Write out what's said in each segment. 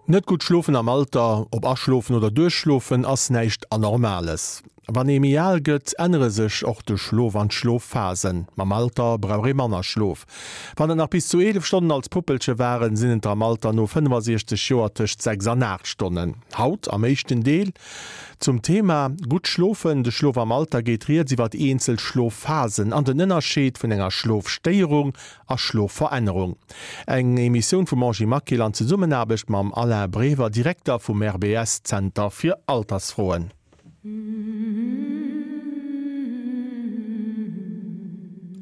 Net gutt schlofen am Alter, ob aschlofen oder duerchschlofen, ass näischt Anormales. Wann ee méi al gëtt, ännere sech och de Schlof an d'Schlofphasen. Mam Alter brauch ee manner Schlof. Wann et nach bis zu 11 Stonnen als Puppelche waren, sinn et der am Alter no 65 Joer tëscht 6 an 8 Stonnen. Haut am éischten Deel zum Thema Gutt schlofen, de Schlof am Alter geet rieds iwwer eenzel Schlofphasen an den Ënnerscheed vun enger Schlofstéierung a Schlofverännerung. Eng Emissioun vum Angie Maquil an Zesummenaarbecht mam Alain Brever, Direkter vum RBS Zenter fir Altersfroen.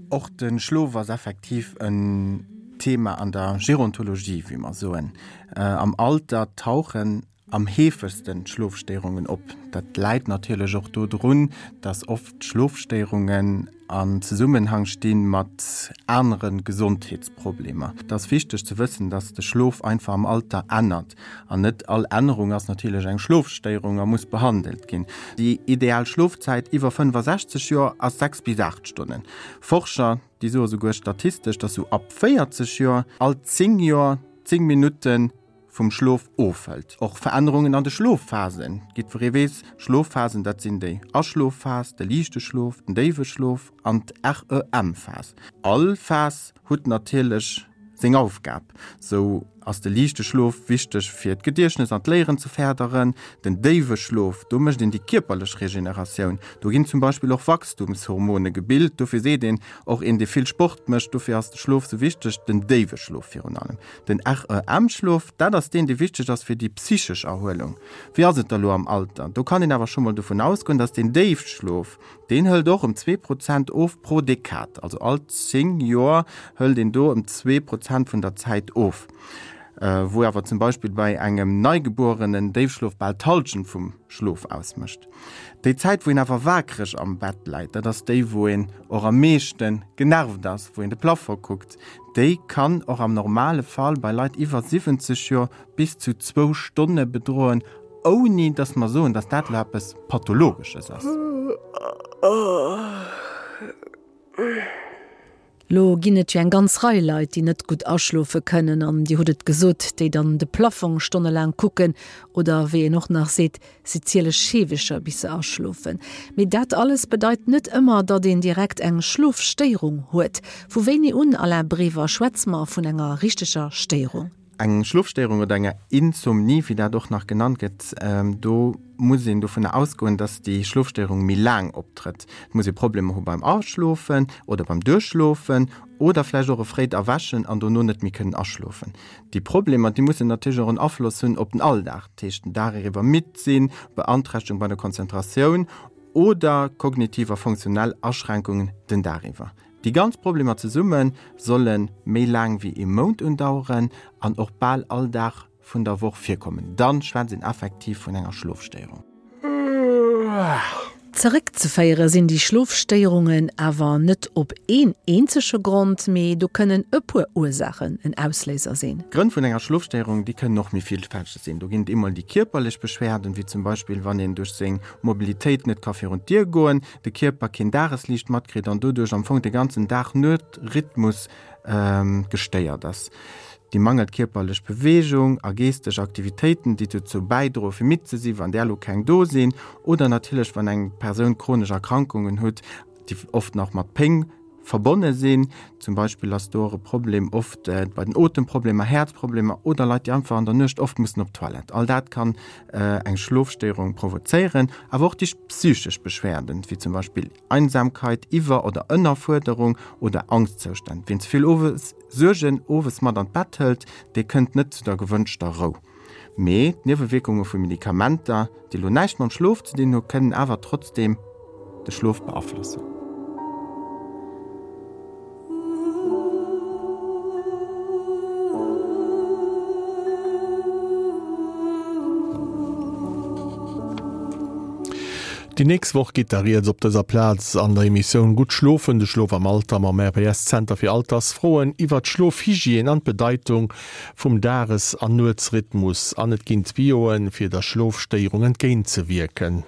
Och de Schlof ass effektiv en Thema an der Gerontologie, wéi mer soen. Am Alter tauchen am heefegsten d'Schlofstéierungen op. Dat läit natierlech och do drun, dass oft Schlofstéierungen an Zesummenhang sti mat anere Gesondheetsproblemer. Et ass wichteg ze wëssen, dass de Schlof einfach am Alter ännert an net all Ännerung ass natierlech eng Schlofstéierung a muss behandelt ginn. Déi ideal Schlofzäit iwwer 65 Joer ass 6 bis 8 Stonnen. Forscher, déi soe souguer statistesch, dass sou ab 40 Joer all 10 Joer 10 Minutten vum Schlof ofhëlt. Och Verännerungen an de Schlofphasen, jiddweree weess, Schlofphasen, dat sinn déi Aschlofphas, de liichte Schlof, den déiwe Schlof an d'REM-Phas. All Phas hutt natierlech seng Aufgab. Sou ass de liichte Schlof wichteg fir d'Gediechtnes an d'Léieren ze férderen. Den déiwe Schlof, do mécht een déi kierperlech Regeneratioun. Do ginn zum Beispill och Wachstumshormone gebilt. Dofir seet een och, een dee vill Sport mécht, dofir ass de Schlof sou wichteg, den déiwe Schlof virun allem. Den REM-Schlof, dat ass deen, dee wichteg ass fir déi psychesch Erhuelung. Wéi ass et da lo am Alter? Do kann een awer scho mol dovun ausgoen, dass deen Déifschlof, deen hëlt och ëm 2% of pro Dekad. Also all 10 Joer hëlt een do ëm 2% vun der Zäit of. Wou awer zum Beispill bei engem Neigebuerenen Déifschlof bal d'Hallschent vum Schlof ausmécht. Déi Zäit, wou een awer waakreg am Bett läit, dat ass déi, wou een och am meeschte genervt ass, wou een de Plafond kuckt, déi kann och am normale Fall bei Leit iwwer 70 Joer bis zu zwou Stonne bedroen, ouni datt mer soen, datt dat elo eppes Pathologesches ass. Lo ginn et jo eng ganz Rei Leit, déi net gutt aschlofe kënnen, an Dir hutt et gesot, déi dann de Plafong stonnelaang kucken oder, wéi een och nach seet, si ziele Scheewecher bis se aschlofen. Mee dat alles bedeit net ëmmer, datt een direkt eng Schlofstéierung huet. Vu wéini un, Alain Brever, schwätze mer vun enger richteger Stéierung? Eng Schlofstéierung oder enger Insomnie, wéi dat och nach genannt gëtt, do muss een dovunner ausgoen, dass déi Schlofstéierung méi laang optrëtt. Et muss ee Problemer hu beim Aschlofen oder beim Duerchschlofen oder vläicht och e fréit Erwächen an dono net méi kënnen aschlofen. Déi Problemer, déi mussen natierlech och en Afloss hunn op den Alldag, dat heescht den Dag eriwwer midd sinn, Beanträchtegung bei der Konzentratioun oder kognitiv a funktionell Aschränkungen den Dag iwwer. Déi ganz Problemer zesumme solle méi laang wéi ee Mount undaueren an och bal all Dag vun der Woch virkommen. Dann schwätzt een effektiv vun enger Schlofstéierung. Zeréckzeféiere sinn déi Schlofstéierungen awer net op een eenzege Grond, mee do kënnen e puer Ursaachen en Ausléiser sinn. D'Grënn vun enger Schlofstéierung, déi kënnen och méi villfälteg sinn. Do ginn et eemol déi kierperlech Beschwerden, wéi zum Beispill wann een duerch seng Mobilitéit net ka virun d'Dier goen, de Kierper keen Dagesliicht matkritt an doduerch am Fong de ganzen Dag-Nuet-Rhythmus gestéiert ass. Déi mangelnd kierperlech Beweegung a geeschteg Aktivitéiten, déi dozou bäidroe fir midd ze sinn, wann där elo keng do sinn, oder natierlech wann eng Persoun chronesch Erkrankungen huet, déi oft nach mat Péng verbonne sinn. Zum Beispill ass do och e Problem oft bei den Otemproblemer, Häerzproblemer oder Leit, déi einfach an der Nuecht oft mussen op d'Toilette. All dat kann eng Schlofstéierung provozéieren. Awer och déi psychesch Beschwerden, wéi zum Beispill Einsamkeit, Iwwer oder Ënnerfuerderung oder Angschtzoustänn. Wien ze vill owes Suergen owes mat an d'Bett hëlt, dee kënnt net zu der gewënschter Rou. Mee d'Niewewierkunge vu Medikamenter, déi elo näischt mam Schlof ze dinn hu, kënnen awer trotzdeem de Schlof beaflossen. Déi nächst Woch geet da rieds op dëser Plaz an der Emissioun Gutt schlofen, de Schlof am Alter mam RPS-Zenter fir Altersfroen iwwert d'Schlofhygiène an d'Bedeitung vum Dages an Nuetsrhythmus an et ginn Tuyauxen, fir der Schlofstéierung entgéintzewierken.